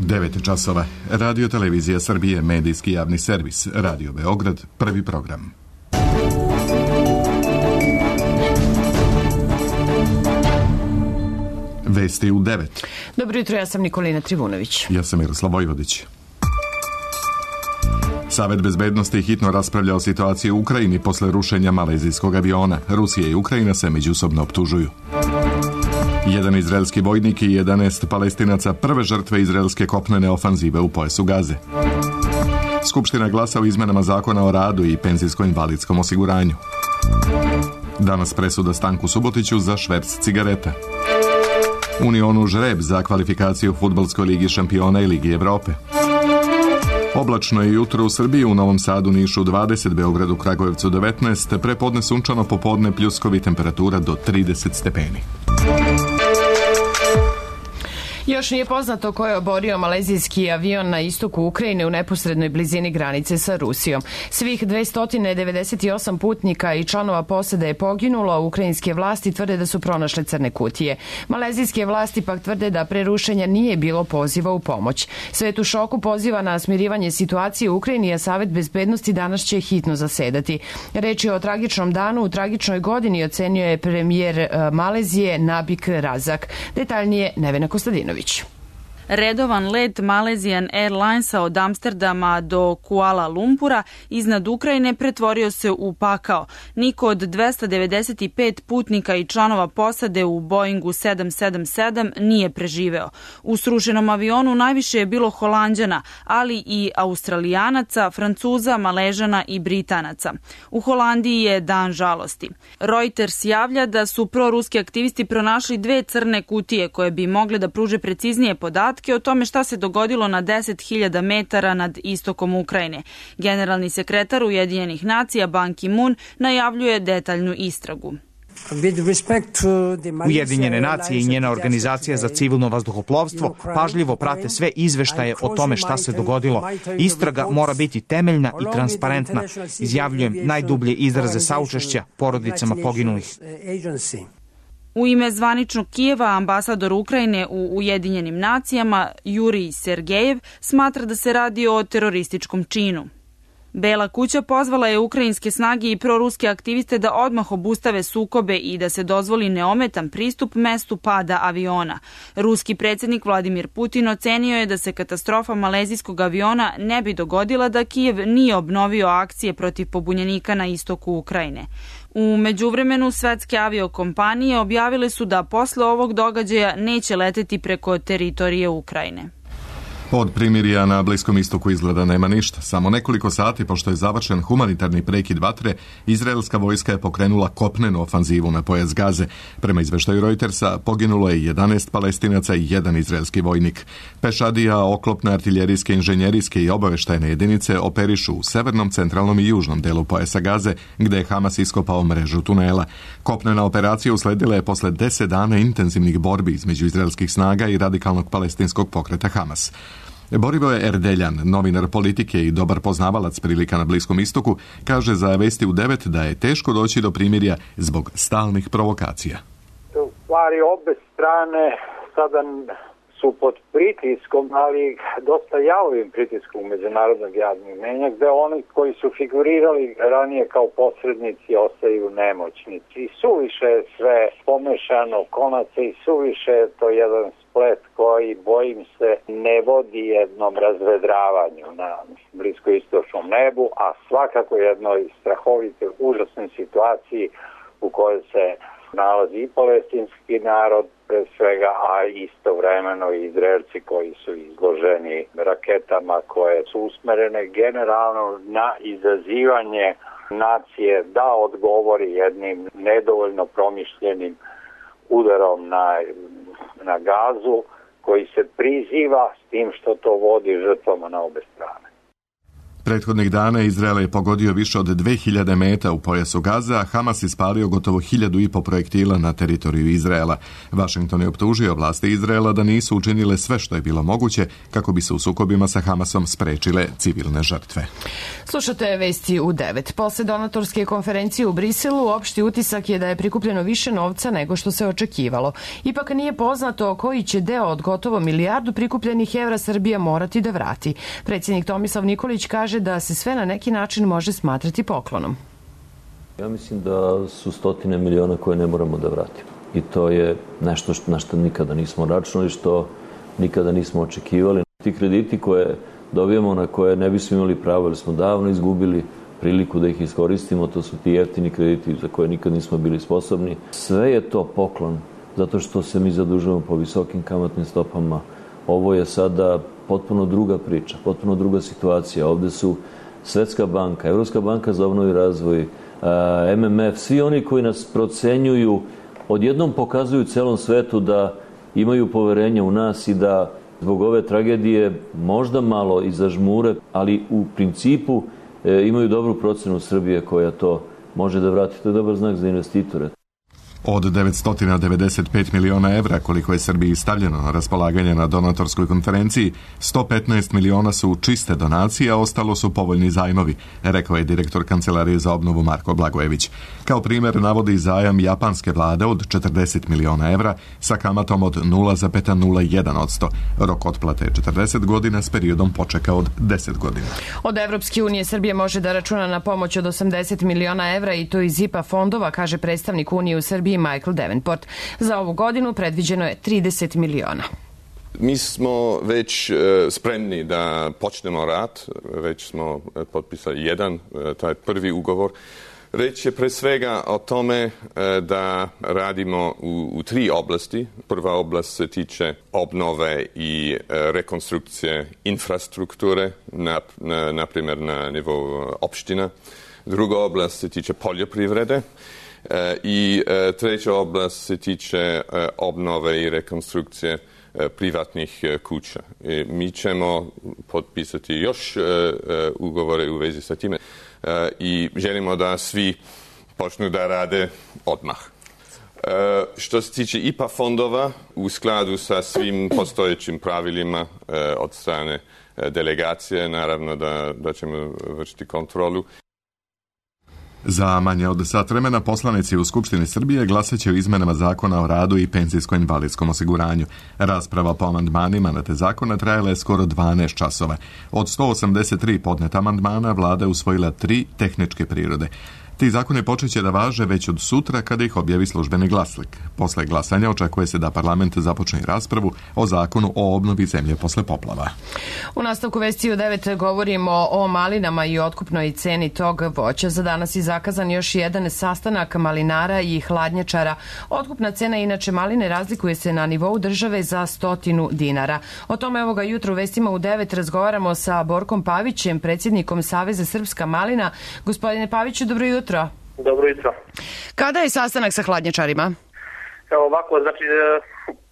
9 časova. Radio Televizija Srbije, medijski javni servis. Radio Beograd, prvi program. Vesti u 9. Dobro jutro, ja sam Nikolina Trivunović. Ja sam Miroslav Vojvodić. Savet bezbednosti hitno raspravlja o situaciji u Ukrajini posle rušenja malezijskog aviona. Rusija i Ukrajina se međusobno optužuju. Jedan izraelski vojnik i 11 Palestinaca prve žrtve izraelske kopnene ofanzive u pojasu Gaze. Skupština glasa o izmenama zakona o radu i penzijsko-invalidskom osiguranju. Danas presuda Stanku Subotiću za šverc cigareta. Unionu žreb za kvalifikaciju Fudbalskoj ligi šampiona i Ligi Evrope. Oblačno je jutro u Srbiji, u Novom Sadu, Nišu 20, Beogradu, Kragujevcu 19, prepodne sunčano, popodne pljuskovi, temperatura do 30 stepeni. Još nije poznato ko je oborio malezijski avion na istoku Ukrajine u neposrednoj blizini granice sa Rusijom. Svih 298 putnika i članova posade je poginulo, ukrajinske vlasti tvrde da su pronašle crne kutije. Malezijske vlasti pak tvrde da pre rušenja nije bilo poziva u pomoć. Svet u šoku poziva na smirivanje situacije u Ukrajini, a Savet bezbednosti danas će hitno zasedati. Reč je o tragičnom danu, u tragičnoj godini, ocenio je premijer Malezije Nabik Razak. Detaljnije Nevena Kostadinović. Redovan let Malaysian Airlinesa od Amsterdama do Kuala Lumpura iznad Ukrajine pretvorio se u pakao. Niko od 295 putnika i članova posade u Boeingu 777 nije preživeo. U srušenom avionu najviše je bilo Holanđana, ali i Australijanaca, Francuza, Maležana i Britanaca. U Holandiji je dan žalosti. Reuters javlja da su proruski aktivisti pronašli 2 crne kutije koje bi mogle da pruže preciznije podatke o tome šta se dogodilo na 10.000 metara nad istokom Ukrajine. Generalni sekretar Ujedinjenih nacija Ban Ki-moon najavljuje detaljnu istragu. Ujedinjene nacije i njena organizacija za civilno vazduhoplovstvo pažljivo prate sve izveštaje o tome šta se dogodilo. Istraga mora biti temeljna i transparentna. Izjavljujem najdublje izraze saučešća porodicama poginulih. U ime zvaničnog Kijeva ambasador Ukrajine u Ujedinjenim nacijama Jurij Sergejev smatra da se radi o terorističkom činu. Bela kuća pozvala je ukrajinske snage i proruske aktiviste da odmah obustave sukobe i da se dozvoli neometan pristup mestu pada aviona. Ruski predsjednik Vladimir Putin ocenio je da se katastrofa malezijskog aviona ne bi dogodila da Kijev nije obnovio akcije protiv pobunjenika na istoku Ukrajine. U međuvremenu svetske aviokompanije objavile su da posle ovog događaja neće leteti preko teritorije Ukrajine. Od primirja na Bliskom istoku izgleda nema ništa. Samo nekoliko sati pošto je završen humanitarni prekid vatre, izraelska vojska je pokrenula kopnenu ofanzivu na pojas Gaze. Prema izveštaju Reutersa poginulo je 11 Palestinaca i 1 izraelski vojnik. Pešadija, oklopne, artiljerijske, inženjerijske i obaveštajne jedinice operišu u severnom, centralnom i južnom delu pojasa Gaze, gde je Hamas iskopao mrežu tunela. Kopnena operacija usledila je posle 10 dana intenzivnih borbi između izraelskih snaga i radikalnog palestinskog pokreta Hamas. Borivoje Erdeljan, novinar politike i dobar poznavalac prilika na Bliskom istoku, kaže za Vesti u 9 da je teško doći do primirja zbog stalnih provokacija. U stvari obe strane sada su pod pritiskom, ali dosta javnim pritiskom međunarodnog javnog mnjenja, gde oni koji su figurirali ranije kao posrednici ostaju nemoćnici. I suviše je sve pomešano konaca i suviše je to jedan splet koji, bojim se, ne vodi jednom razvedravanju na bliskoistočnom nebu, a svakako jednoj strahovitoj, užasnoj situaciji u kojoj se nalazi i palestinski narod, pre svega, a istovremeno i Izraelci koji su izloženi raketama koje su usmerene generalno na izazivanje nacije da odgovori jednim nedovoljno promišljenim udarom na Gazu, koji se priziva s tim što to vodi žrtvama na obe strane. Prethodnih dana Izrael je pogodio više od 2000 meta u pojasu Gaze, a Hamas ispalio gotovo 1500 projektila na teritoriju Izraela. Washington je optužio vlasti Izraela da nisu učinile sve što je bilo moguće kako bi se u sukobima sa Hamasom sprečile civilne žrtve. Slušate vesti u 9. Posle donatorske konferencije u Briselu, opšti utisak je da je prikupljeno više novca nego što se očekivalo. Ipak nije poznato koji će deo od gotovo milijardu prikupljenih evra Srbija morati da vrati. Predsjednik Tomislav Nikolić kaže da se sve na neki način može smatrati poklonom. Ja mislim da su stotine miliona koje ne moramo da vratimo. I to je nešto na što nikada nismo računali, što nikada nismo očekivali. Ti krediti koje dobijemo, na koje ne bismo imali pravo, jer smo davno izgubili priliku da ih iskoristimo, to su ti jeftini krediti za koje nikad nismo bili sposobni. Sve je to poklon, zato što se mi zadužujemo po visokim kamatnim stopama. Ovo je sada potpuno druga priča, potpuno druga situacija. Ovde su Svetska banka, Evropska banka za obnovu i razvoj, MMF, svi oni koji nas procenjuju, odjednom pokazuju celom svetu da imaju poverenje u nas i da zbog ove tragedije možda malo i zažmure, ali u principu imaju dobru procenu Srbije koja to može da vrati. To je dobar znak za investitore. Od 995 miliona evra koliko je Srbiji stavljeno na raspolaganje na donatorskoj konferenciji, 115 miliona su čiste donacije, a ostalo su povoljni zajmovi, rekao je direktor Kancelarije za obnovu Marko Blagojević. Kao primjer navodi zajam japanske vlade od 40 miliona evra sa kamatom od 0,01%. Rok otplate je 40 godina s periodom počeka od 10 godina. Od Evropske unije Srbija može da računa na pomoć od 80 miliona evra i to iz IPA fondova, kaže predstavnik Unije u Srbiji Michael Davenport. Za ovu godinu predviđeno je 30 miliona. Mi smo već spremni da počnemo rad, već smo potpisali taj prvi ugovor. Reč je pre svega o tome da radimo u 3 oblasti. Prva oblast se tiče obnove i rekonstrukcije infrastrukture, na primjer na nivou opština. Druga oblast se tiče poljoprivrede. I treća oblast se tiče obnove i rekonstrukcije privatnih kuća. Mi ćemo potpisati još ugovore u vezi sa time i želimo da svi počnu da rade odmah. Što se tiče IPA fondova, u skladu sa svim postojećim pravilima od strane delegacije, naravno da ćemo vršiti kontrolu. Za manje od sat vremena poslanici u Skupštini Srbije glasat će o izmenama Zakona o radu i penzijsko-invalidskom osiguranju. Rasprava po amandmanima na te zakone trajala je skoro 12 časova. Od 183 podneta amandmana vlada je usvojila 3 tehničke prirode. Ti zakoni počeće da važe već od sutra kada ih objavi službeni glasnik. Posle glasanja očekuje se da parlament započne raspravu o zakonu o obnovi zemlje posle poplava. U nastavku vesti u 9 govorimo o malinama i otkupnoj ceni tog voća. Za danas je zakazan još jedan sastanak malinara i hladnjačara. Otkupna cena inače maline razlikuje se na nivou države za 100 dinara. O tome ovoga jutra u vestima u 9 razgovaramo sa Borkom Pavićem, predsjednikom Saveza Srpska malina. Gospodine Paviću, dobro jutro. Dobro jutro. Kada je sastanak sa hladnjačarima? Evo ovako, znači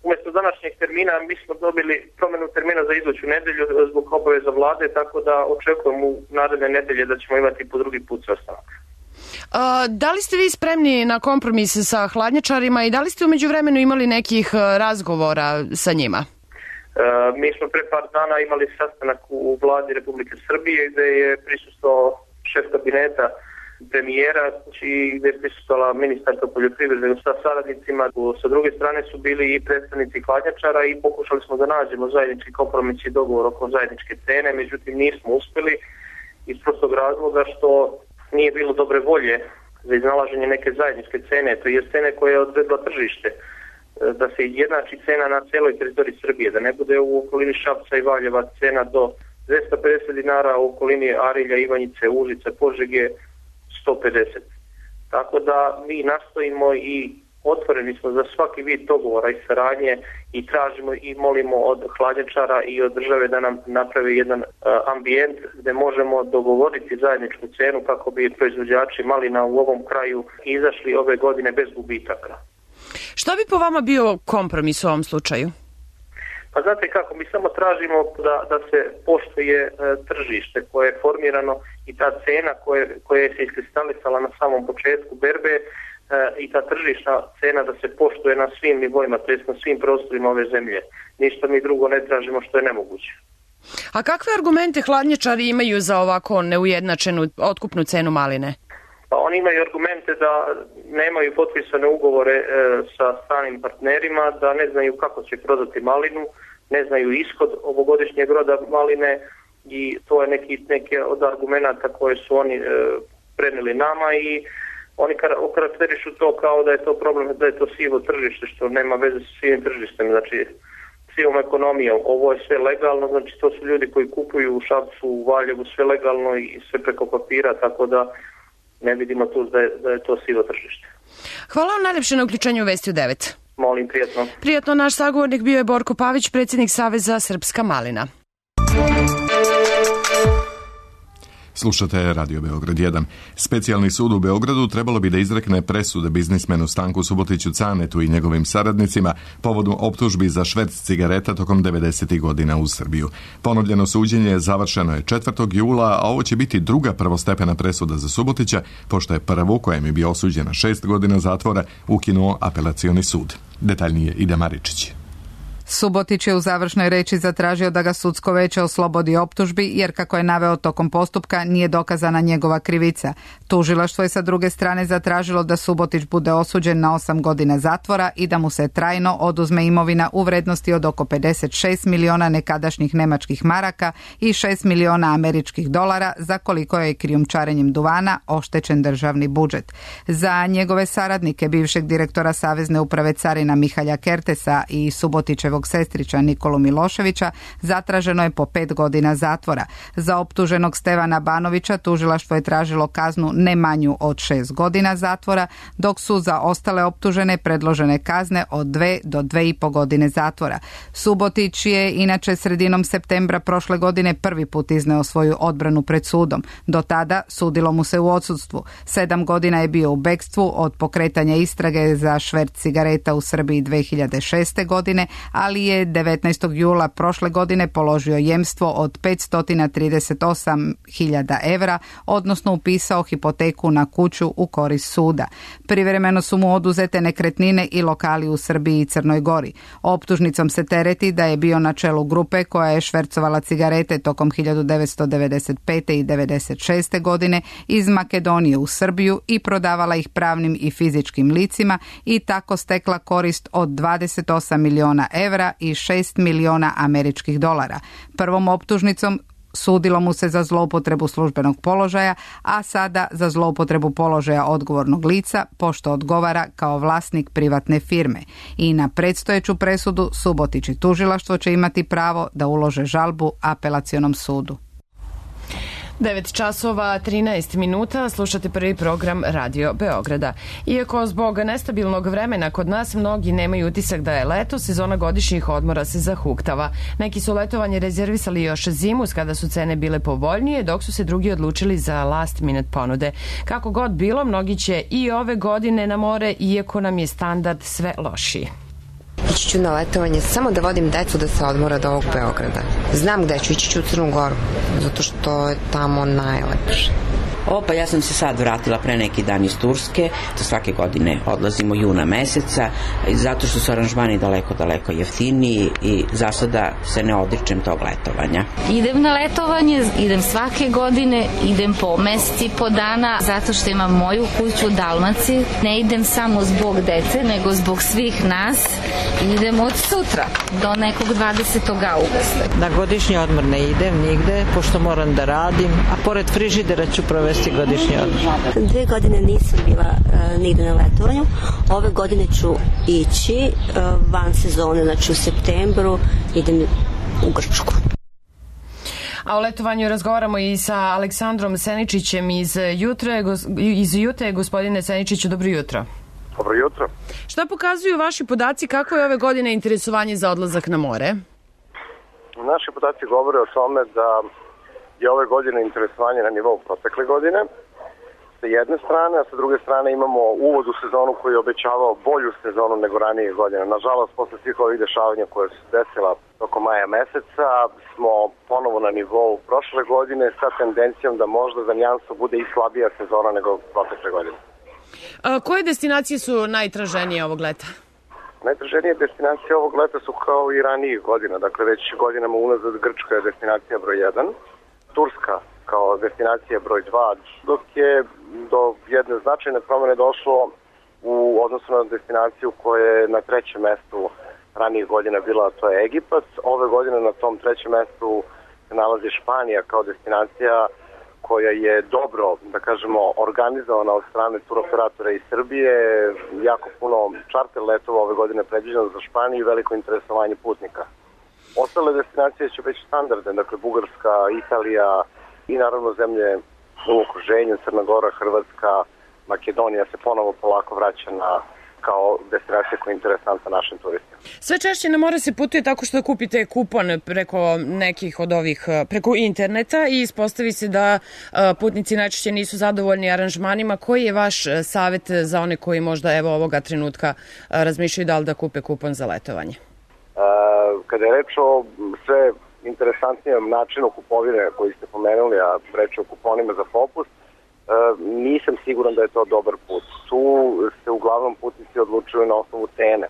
umjesto današnjeg termina mi smo dobili promjenu termina za iduću nedelju zbog obaveza vlade, tako da očekujem u naredne nedelje da ćemo imati po drugi put sastanak. Da li ste vi spremni na kompromis sa hladnjačarima i da li ste u međuvremenu imali nekih razgovora sa njima? Mi smo pre par dana imali sastanak u vladi Republike Srbije gde je prisustvovao šef kabineta premijera i gdje je prisustvala ministarka poljoprivrede sa saradnicima. Sa druge strane su bili i predstavnici hladnjačara i pokušali smo da nađemo zajednički kompromis i dogovor oko zajedničke cene, međutim nismo uspjeli iz prostog razloga što nije bilo dobre volje za iznalaženje neke zajedničke cene, to je cene koje je odredila tržište, da se jednači cena na celoj teritoriji Srbije, da ne bude u okolini Šapca i Valjeva cena do 250 dinara, u okolini Arilja, Ivanjice, Užice, Požege 150. Tako da mi nastojimo i otvoreni smo za svaki vid dogovora i saradnje i tražimo i molimo od hladnjačara i od države da nam napravi jedan ambijent gdje možemo dogovoriti zajedničku cenu kako bi proizvođači malina u ovom kraju izašli ove godine bez gubitaka. Šta bi po vama bio kompromis u ovom slučaju? Pa znate kako, mi samo tražimo da se poštuje tržište koje je formirano i ta cena koja se iskristalisala na samom početku berbe i ta tržišna cena da se poštuje na svim nivoima, to jest na svim prostorima ove zemlje. Ništa mi drugo ne tražimo što je nemoguće. A kakve argumente hladnjačari imaju za ovako neujednačenu otkupnu cenu maline? Pa oni imaju argumente da nemaju potpisane ugovore sa stranim partnerima, da ne znaju kako će prodati malinu, ne znaju ishod ovogodišnjeg roda maline i to je neki od argumenta koje su oni prenijeli nama i oni karakterišu to kao da je to problem, da je to sivo tržište, što nema veze sa sivim tržištem, znači sivom ekonomijom. Ovo je sve legalno, znači to su ljudi koji kupuju u Šapcu, u Valjevu, sve legalno i sve preko papira, tako da ne vidimo tu da je to sivo tržište. Hvala vam najlepše na uključenju u Vesti u 9. Molim, prijatno. Prijatno, naš sagovornik bio je Borko Pavić, predsjednik Saveza Srpska malina. Slušate Radio Beograd 1. Specijalni sud u Beogradu trebalo bi da izrekne presude biznismenu Stanku Subotiću Canetu i njegovim saradnicima povodom optužbi za šverc cigareta tokom 90. godina u Srbiju. Ponovljeno suđenje završeno je 4. jula, a ovo će biti druga prvostepena presuda za Subotića, pošto je prvu, kojem je bio osuđen na 6 godina zatvora, ukinuo apelacioni sud. Detaljnije Ida Maričić. Subotić je u završnoj reči zatražio da ga sudsko veće oslobodi optužbi, jer kako je naveo tokom postupka nije dokazana njegova krivica. Tužilaštvo je sa druge strane zatražilo da Subotić bude osuđen na 8 godina zatvora i da mu se trajno oduzme imovina u vrednosti od oko 56 miliona nekadašnjih nemačkih maraka i 6 miliona američkih dolara, za koliko je krijumčarenjem duvana oštećen državni budžet. Za njegove saradnike, bivšeg direktora Savezne uprave carina Mihalja Kertesa i Subotićevog sestrića Nikolu Miloševića, zatraženo je po 5 godina zatvora. Za optuženog Stevana Banovića tužilaštvo je tražilo kaznu ne manju od 6 godina zatvora, dok su za ostale optužene predložene kazne od 2 do 2,5 godine zatvora. Subotić je inače sredinom septembra prošle godine prvi put izneo svoju odbranu pred sudom. Do tada sudilo mu se u odsudstvu. 7 godina je bio u bekstvu od pokretanja istrage za šverc cigareta u Srbiji 2006. godine, ali je 19. jula prošle godine položio jemstvo od 538.000 evra, odnosno upisao hipoteku na kuću u korist suda. Privremeno su mu oduzete nekretnine i lokali u Srbiji i Crnoj Gori. Optužnicom se tereti da je bio na čelu grupe koja je švercovala cigarete tokom 1995. i 1996. godine iz Makedonije u Srbiju i prodavala ih pravnim i fizičkim licima i tako stekla korist od 28 miliona evra i 6 miliona američkih dolara. Prvom optužnicom sudilo mu se za zloupotrebu službenog položaja, a sada za zloupotrebu položaja odgovornog lica, pošto odgovara kao vlasnik privatne firme. I na predstojeću presudu Subotić i tužilaštvo će imati pravo da ulože žalbu apelacionom sudu. 9 časova 13 minuta, slušate prvi program Radio Beograda. Iako zbog nestabilnog vremena kod nas mnogi nemaju utisak da je leto, sezona godišnjih odmora se zahuktava. Neki su letovanje rezervisali još zimus kada su cene bile povoljnije, dok su se drugi odlučili za last minute ponude. Kako god bilo, mnogi će i ove godine na more, iako nam je standard sve lošiji. Ići ću na letovanje samo da vodim decu da se odmora od ovog Beograda. Znam gde ću, ići ću u Crnu Goru, zato što je tamo najlepše. Pa ja sam se sad vratila pre neki dan iz Turske, to svake godine odlazimo juna meseca, zato što su aranžmani daleko jeftiniji i za sada se ne odričem tog letovanja. Idem na letovanje, idem svake godine, idem po meseci, po dana, zato što imam moju kuću u Dalmaciji. Ne idem samo zbog dece, nego zbog svih nas. Idem od sutra do nekog 20. augusta. Na godišnji odmor ne idem nigde, pošto moram da radim, a pored frižidera ću provesti godišnji odmor. 2 godine nisam bila nigde na letovanju. Ove godine ću ići van sezone, znači u septembru idem u Grčku. A o letovanju razgovaramo i sa Aleksandrom Seničićem iz Jute. Gospodine Seničiću, dobro jutro. Dobro jutro. Šta pokazuju vaši podaci, kako je ove godine interesovanje za odlazak na more? Naši podaci govore o tome da je ove godine interesovanje na nivou protekle godine sa jedne strane, a sa druge strane imamo uvod u sezonu koji je obećavao bolju sezonu nego ranije godine. Nažalost, posle svih ovih dešavanja koje su desila tokom maja meseca, smo ponovo na nivou prošle godine sa tendencijom da možda za nijansu bude i slabija sezona nego protekle godine. Koje destinacije su najtraženije ovog leta? Najtraženije destinacije ovog leta su kao i ranijih godina, dakle već godinama unazad Grčka je destinacija broj 1, Turska kao destinacija broj 2, dok je do jedne značajne promene došlo u odnosu na destinaciju koja je na trećem mestu ranijih godina bila, to je Egipat. Ove godine na tom trećem mestu se nalazi Španija kao destinacija koja je dobro, da kažemo, organizovana od strane turoperatora iz Srbije. Jako puno čarter letova ove godine predviđeno za Španiju i veliko interesovanje putnika. Ostale destinacije će već standardne, dakle Bugarska, Italija i naravno zemlje u okruženju, Crna Gora, Hrvatska, Makedonija se ponovo polako vraća kao destinacija koja je interesantna našim turistima. Sve češće na more se putuje tako što kupite kupon preko nekih od ovih, preko interneta i ispostavi se da putnici najčešće nisu zadovoljni aranžmanima. Koji je vaš savjet za one koji možda evo ovoga trenutka razmišljaju da li da kupe kupon za letovanje? Kada je reč o sve interesantnijem načinu kupovine koji ste pomenuli, a reč o kuponima za popust, nisam siguran da je to dobar put. Tu se uglavnom putnici odlučuju na osnovu cene.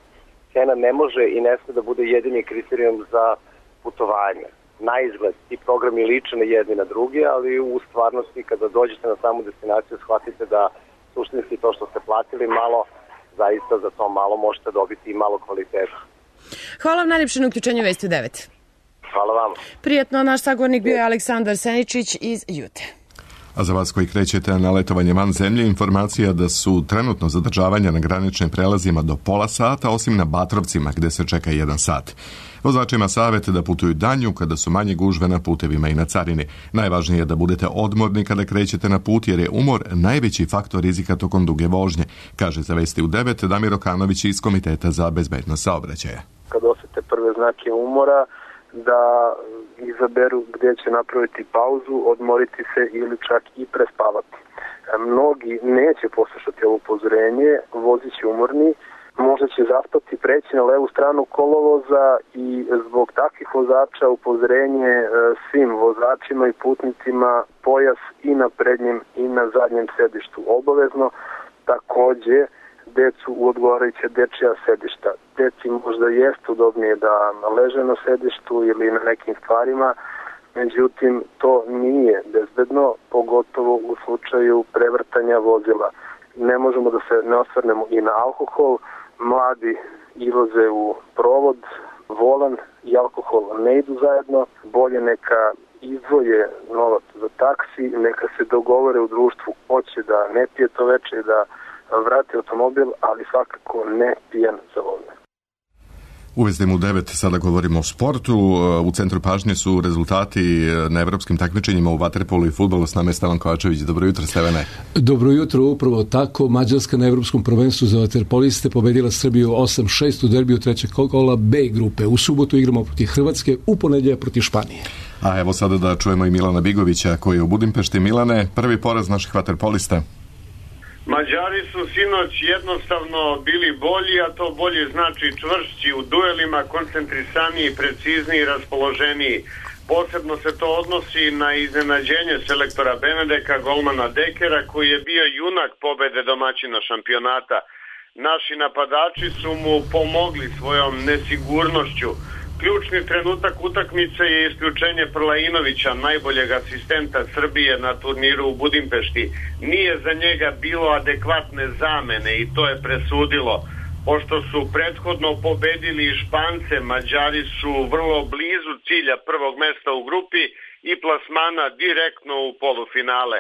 Cena ne može i ne sme da bude jedini kriterijum za putovanje. Na izgled, ti programi liče na jedni na drugi, ali u stvarnosti kada dođete na samu destinaciju shvatite da suštinski to što ste platili malo, zaista za to malo možete dobiti i malo kvaliteta. Hvala vam najljepše na uključenju Vesti u 9. Hvala vam. Prijetno, naš sagovornik bio je Aleksandar Seničić iz Jute. A za vas koji krećete na letovanje van zemlje, informacija da su trenutno zadržavanja na graničnim prelazima do pola sata, osim na Batrovcima gde se čeka 1 sat. Vozačima savjet da putuju danju kada su manje gužve na putevima i na carini. Najvažnije je da budete odmorni kada krećete na put jer je umor najveći faktor rizika tokom duge vožnje, kaže za Vesti u 9 Damir Okanović iz Komiteta za bezbednost saobraćaja. Kad osete prve znake umora, da izaberu gdje će napraviti pauzu, odmoriti se ili čak i prespavati. Mnogi neće poslušati ovo upozorenje, vozit će umorni, možda će zaspati, preći na levu stranu kolovoza i zbog takvih vozača upozorenje svim vozačima i putnicima pojas i na prednjem i na zadnjem sedištu obavezno, takođe decu u odgovarajuća dečija sedišta. Deci možda jeste udobnije da leže na sedištu ili na nekim stvarima, međutim to nije bezbedno, pogotovo u slučaju prevrtanja vozila. Ne možemo da se ne osvrnemo i na alkohol, mladi izlaze u provod, volan i alkohol ne idu zajedno, bolje neka izdvoje novac za taksi, neka se dogovore u društvu hoće da ne pije to veče i da vrati automobil, ali svakako ne pijan za vožnju. U Vezdemu 9 sada govorimo o sportu. U centru pažnje su rezultati na evropskim takmičenjima u vaterpolu i fudbalu. S nama je Stevan Kovačević. Dobro jutro, Stevane. Dobro jutro, upravo tako. Mađarska na evropskom prvenstvu za vaterpoliste pobedila Srbiju 8-6 u derbiju trećeg kola B grupe. U subotu igramo protiv Hrvatske, u ponedjeljak protiv Španije. A evo sada da čujemo i Milana Bigovića koji je u Budimpešti. Milane, prvi poraz naših vaterpolista. Mađari su sinoć jednostavno bili bolji, a to bolje znači čvršći u duelima, koncentrisaniji, precizniji, raspoloženiji. Posebno se to odnosi na iznenađenje selektora Benedeka, golmana Dekera, koji je bio junak pobede domaćina šampionata. Naši napadači su mu pomogli svojom nesigurnošću. Ključni trenutak utakmice je isključenje Prlainovića, najboljeg asistenta Srbije na turniru u Budimpešti. Nije za njega bilo adekvatne zamene i to je presudilo. Pošto su prethodno pobedili Špance, Mađari su vrlo blizu cilja prvog mesta u grupi i plasmana direktno u polufinale.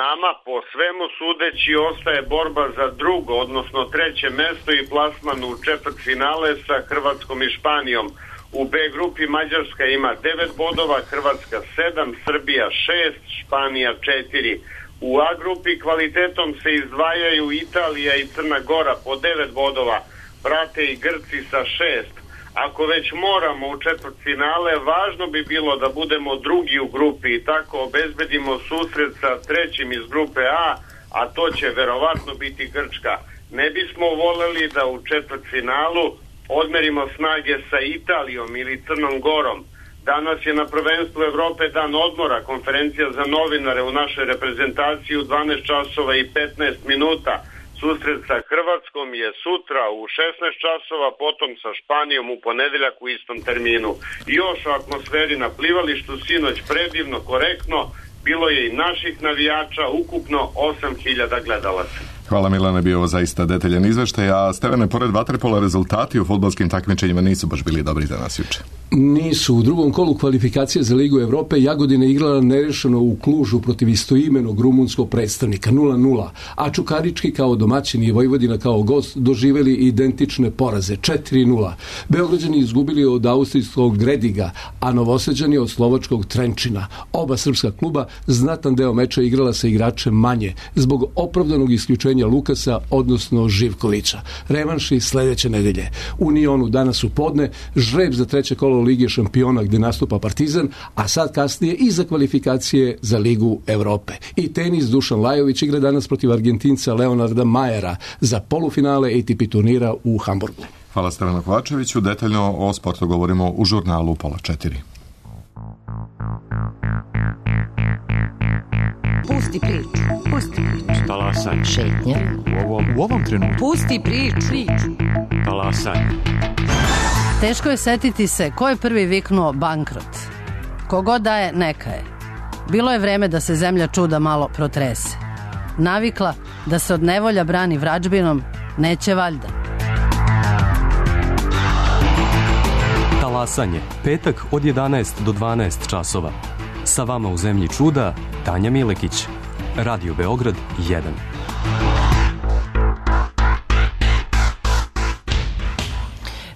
Nama, po svemu sudeći, ostaje borba za drugo, odnosno treće mesto i plasman u četvrtfinale sa Hrvatskom i Španijom. U B grupi Mađarska ima 9 bodova, Hrvatska 7, Srbija 6, Španija 4. U A grupi kvalitetom se izdvajaju Italija i Crna Gora po 9 bodova, prate i Grci sa 6. Ako već moramo u četvrtfinale, važno bi bilo da budemo drugi u grupi i tako obezbedimo susret sa trećim iz grupe A, a to će verovatno biti Grčka. Ne bismo voleli da u četvrtfinalu odmerimo snage sa Italijom ili Crnom Gorom. Danas je na prvenstvu Evrope dan odmora, konferencija za novinare u našoj reprezentaciji u 12 časova i 15 minuta. Susret sa Hrvatskom je sutra u 16 časova, potom sa Španijom u ponedeljak u istom terminu. I još o atmosferi na plivalištu, sinoć predivno, korektno, bilo je i naših navijača, ukupno 8.000 gledalaca. Hvala Milane, bio ovo zaista detaljan izveštaj, a Stevane, pored vaterpola, rezultati u fudbalskim takmičenjima nisu baš bili dobri za nas juče. Nisu. U drugom kolu kvalifikacije za Ligu Evrope Jagodina igrala nerešeno u Klužu protiv istoimenog rumunskog predstavnika 0-0, a Čukarički kao domaćin i Vojvodina kao gost doživeli identične poraze 4-0. Beograđani izgubili od austrijskog Grediga, a Novosađani od slovačkog Trenčina. Oba srpska kluba znatan deo meča igrala sa igračem manje zbog opravdanog isključenja Lukasa, odnosno Živkovića. Revanši sledeće nedelje. U Unionu danas u podne žreb za treće kolo Lige šampiona gde nastupa Partizan, a sad kasnije i za kvalifikacije za Ligu Evrope. I tenis, Dušan Lajović igra danas protiv Argentinca Leonarda Majera za polufinale ATP turnira u Hamburgu. Hvala Stevanu Kovačeviću. Detaljno o sportu govorimo u žurnalu 3:30. Pusti priču. Pusti priču. Talasaj. Šetnja. U ovom trenutku. Pusti priču. Talasaj. Teško je setiti se ko je prvi viknuo bankrot. Kogod daje, neka je. Bilo je vreme da se zemlja čuda malo protrese. Navikla da se od nevolja brani vrađbinom, neće valjda. Talasanje. Petak od 11 do 12 časova. Sa vama u zemlji čuda, Tanja Milekić. Radio Beograd 1.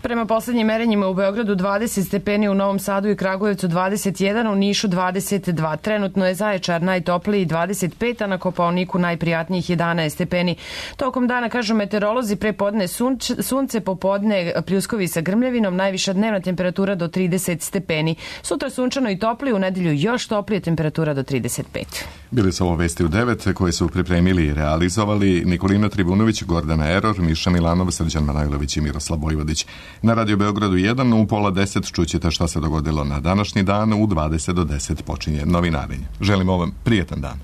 Prema poslednjim merenjima u Beogradu 20 stepeni, u Novom Sadu i Kragujevcu 21, u Nišu 22. Trenutno je Zaječar najtopliji 25, a na Kopaoniku najprijatnijih 11 stepeni. Tokom dana, kažu meteorolozi, pre podne sunce, popodne pljuskovi sa grmljavinom, najviša dnevna temperatura do 30 stepeni. Sutra sunčano i topli, u nedelju još toplije, temperatura do 35. Bili su ovo vesti u 9 koje su pripremili i realizovali Nikolina Tribunović, Gordana Eror, Miša Milanov, Srđan Manojlović i Miroslav Vojvodić. Na Radio Beogradu 1 u 9:30 čućete šta se dogodilo na današnji dan. U 20 do 10 počinje novinarenje. Želimo vam prijetan dan.